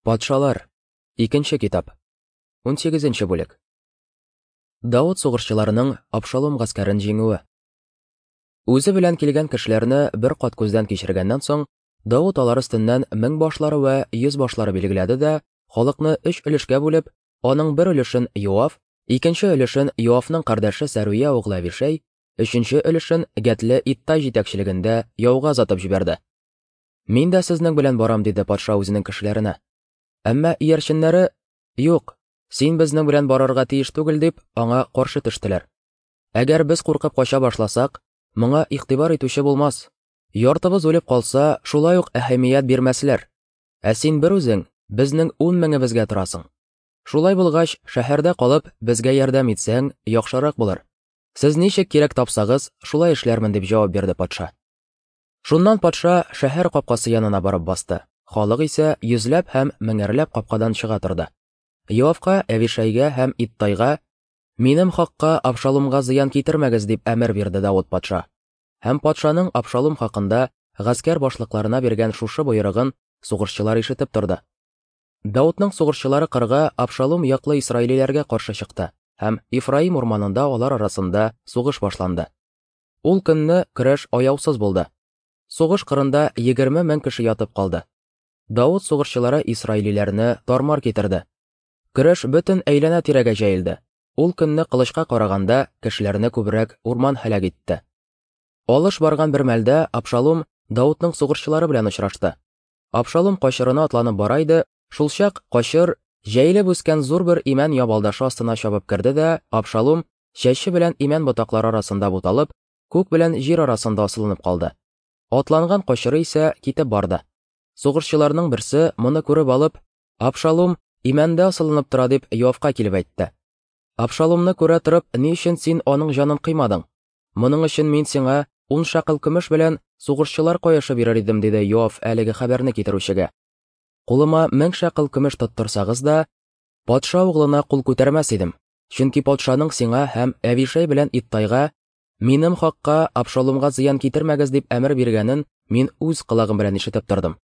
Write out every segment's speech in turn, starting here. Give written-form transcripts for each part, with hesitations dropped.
Патшалар. Икенче китап. 18 бүлек. Давыт сугышчыларының Абшалом гаскәрен җиңүе. Үзе белән килгән кешеләрне бер кат күздән кичергәннән соң, Давыт алар өстеннән мең башлары вә йөз башлары билгеләде дә, халыкны өч өлешкә бүлеп, аның бер өлешен Йоав, икенче өлешен Йоавның кардәше Сәрүя углы Әвишәй, өченче өлешен Гәтле Иттай җитәкчелегендә яуга озатып җибәрде. Мин дә сезнең белән барам, диде патша үзенең кешеләренә. Әмма иярченнәре, юк, син безнең белән барырга тиеш түгел, дип, аңа каршы төштеләр. Әгәр без куркып кача башласак, моңа игътибар итүче булмас. Яртыбыз үлеп калса, шулай ук әһәмият бирмәсләр. Ә син бер үзең безнең ун меңебезгә торасың. Шулай булгач, шәһәрдә калып, безгә ярдәм итсәң, яхшырак булыр. Сез ничек кирәк тапсагыз, шулай эшләрмен, дип җавап бирде патша. Шуннан патша шәһәр капкасы янына барып басты. Халык исә йөзләп һәм меңәрләп капкадан чыга торды. Йоавка, Әвишәйгә һәм Иттайга: "Минем хакка Абшалумга зыян китермәгез", дип әмер бирде Давыт патша. Һәм патшаның Абшалум хакында гаскәр башлыкларына биргән шушы боерыгын сугышчылар ишетеп торды. Давытның сугышчылары кырга Абшалум яклы исраилиләргә каршы чыкты, һәм Ифраим урманында алар арасында сугыш башланды. Ул көнне көрәш аяусыз булды. Сугыш кырында 20 мең кеше ятып калды. Давыт сугышчылары исраилиләрне тармар китерде. Көрәш бөтен әйләнә-тирәгә җәелде. Ул көнне кылычка караганда кешеләрне күбрәк урман һәлак итте. Алыш барган бер мәлдә Абшалум Давытның сугышчылары белән очрашты. Абшалум качырына атланып бара иде, шулчак качыр җәелеп үскән зур бер имән ябалдашы астына чабып керде дә, Абшалум чәче белән имән ботаклары арасында буталып, күк белән җир арасында асылынып калды. Атланган качыры исә китеп барды. Сугышчыларның берсе моны күреп алып, Абшалум имәндә асылынып тора дип Йоавка килеп әйтте. Абшалумны күрә торып, ни өчен син аның җанын кыймадың? Моның өчен мин сиңа ун шәкел көмеш белән сугышчылар каешы бирер идем, диде Йоав әлеге хәбәрне китерүчегә. Кулыма 1000 шәкел көмеш тоттырсагыз да, патша углына кул күтәрмәс идем. Чөнки патшаның сиңа һәм Әвишәй белән Иттайга минем хакка Абшалумга зыян китермәгез дип әмер биргәнен мин үз колагым белән ишетеп тордым.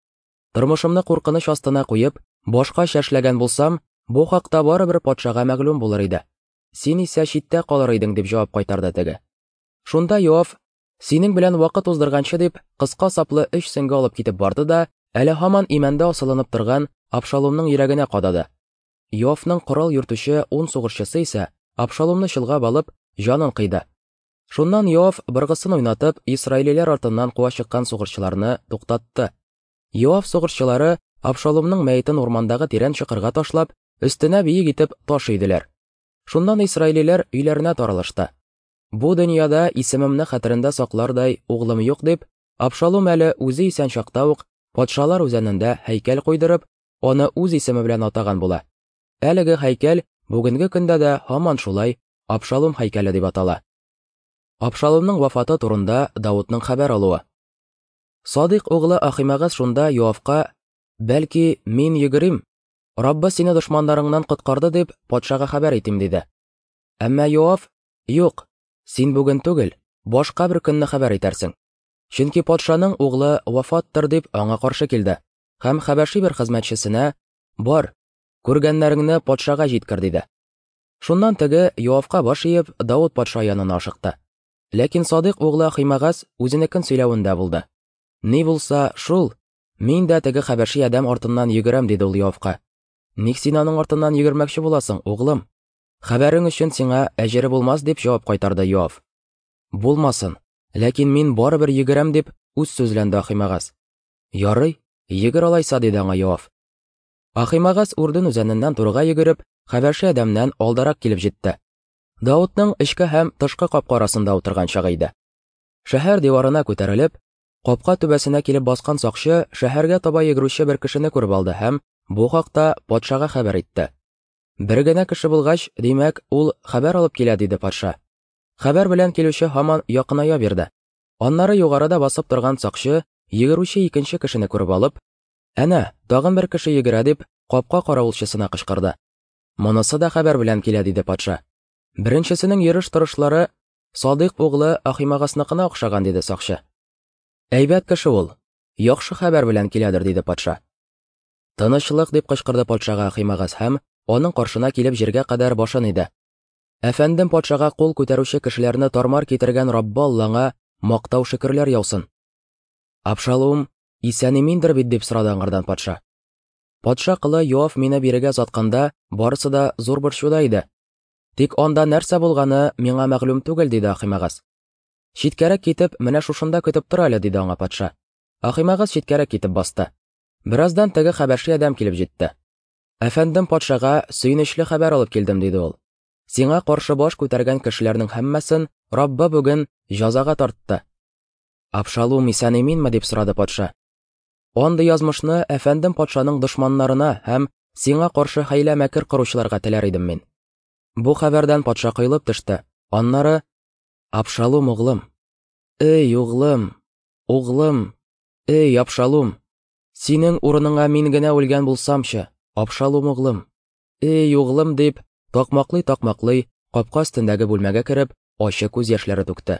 Тормышымны куркыныч астына куеп, башка эшләгән булсам, бу хакта барыбер патшага мәгълүм булыр иде. Син исә читтә калыр идең, дип җавап кайтарды теге. Шунда Йоав, синең белән вакыт уздырганчы дип, кыска саплы өч сеңге алып китеп барды да, әле һаман имәндә асылынып торган Абшалумның йөрәгенә кадады. Йоавның корал йөртүче ун сугышчысы исә Абшалумны чолгап алып, җанын кыйды. Шуннан Йоав быргысын уйнатып, исраилиләр артыннан куа чыккан сугышчыларны туктатты. Йоав сугышчылары Абшалумның мәетен урмандагы тирән чокырга ташлап, өстенә биек итеп таш өйделәр. Шуннан исраилиләр өйләренә таралышты. Бу дөньяда исемемне хәтерендә саклардай углым юк дип, Абшалум әле үзе исән чакта ук патшалар үзәнендә һәйкәл куйдырып, аны үз исеме белән атаган була. Әлеге һәйкәл бүгенге көндә дә һаман шулай Абшалум һәйкәле дип атала. Абшалумның вафаты турында Давытның хәбәр алуы. Садыйк углы Ахимагас шунда Йоавка, бәлки, мин йөгерим, Раббы сине дошманнарыңнан коткарды дип, патшага хәбәр итим, диде. Әмма Йоав, юк, син бүген түгел, башка бер көнне хәбәр итәрсең. Чөнки патшаның углы вафаттыр дип аңа каршы килде. Һәм хәбәши бер хезмәтчесенә, бар, күргәннәреңне патшага җиткер, диде. Шуннан теге Йоавка баш иеп, Давыт патша янына ашыкты. Ләкин Садыйк углы Ахимагас үзенекен сөйләвендә булды. Ни булса, шул, мин дә теге хәбәши адәм артыннан йөгерәм, диде ул Йоавка. Ник син аның артыннан йөгермәкче буласың, углым? Хәбәрең өчен сиңа әҗере булмас, дип җавап кайтарды Йоав. Булмасын, ләкин мин барыбер йөгерәм, дип үз сүзләнде Ахимагас. Ярый, йөгер алайса, диде аңа Йоав. Ахимагас Үрдүн үзәненнән турыга йөгереп, хәбәши адәмнән алдарак килеп җитте. Давытның эчке һәм тышкы капка арасында утырган чагы иде. Шәһәр диварына күтәрелеп, капка түбәсенә килеп баскан сакчы шәһәргә таба йөгерүче бер кешене күреп алды һәм бу хакта патшага хәбәр итте. Бер генә кеше булгач, димәк, ул хәбәр алып килә, диде патша. Хәбәр белән килүче һаман якыная бирде. Аннары югарыда басып торган сакчы йөгерүче икенче кешене күреп алып, әнә, тагын бер кеше йөгерә дип, капка каравылчысына кычкырды. Монысы да хәбәр белән килә, диде патша. Беренчесенең йөреш-торышлары Садыйк углы Ахимагасныкына охшаган, диде сакчы. Әйбәт кеше ул, яхшы хәбәр белән киләдер, диде патша. Тынычлык, дип кычкырды патшага Ахимагас һәм аның каршына килеп җиргә кадәр башын иде. Әфәндем патшага кул күтәрүче кешеләрне тармар китергән Раббы Аллаңа мактау-шөкерләр яусын. Абшалум исән-иминдер бит, дип сорады аңардан патша. Патша колы Йоав мине бирегә озатканда, барысы да зур борчуда иде. Тик анда нәрсә булганы миңа мәгълүм түгел, диде Ахимагас. Читкәрәк китеп, менә шушында көтеп тор әле, диде аңа патша. Ахимагас читкәрәк китеп басты. Бераздан теге хәбәши адәм килеп җитте. Әфәндем патшага сөенечле хәбәр алып килдем, диде ул. Сиңа каршы баш күтәргән кешеләрнең һәммәсен Раббы бүген җазага тартты. Абшалум исән-иминме, дип сорады патша. Андый язмышны әфәндем патшаның дошманнарына һәм сиңа каршы хәйлә-мәкер коручыларга теләр идем мин. Бу хәбәрдән патша коелып төште. Аннары Абшалум углым, эй, углым, углым, эй, Абшалум, синең урыныңа мин генә үлгән булсамчы, Абшалум углым, эй, углым, дип, такмаклый-такмаклый, капка өстендәге бүлмәгә кереп, ачы күз яшьләре түкте.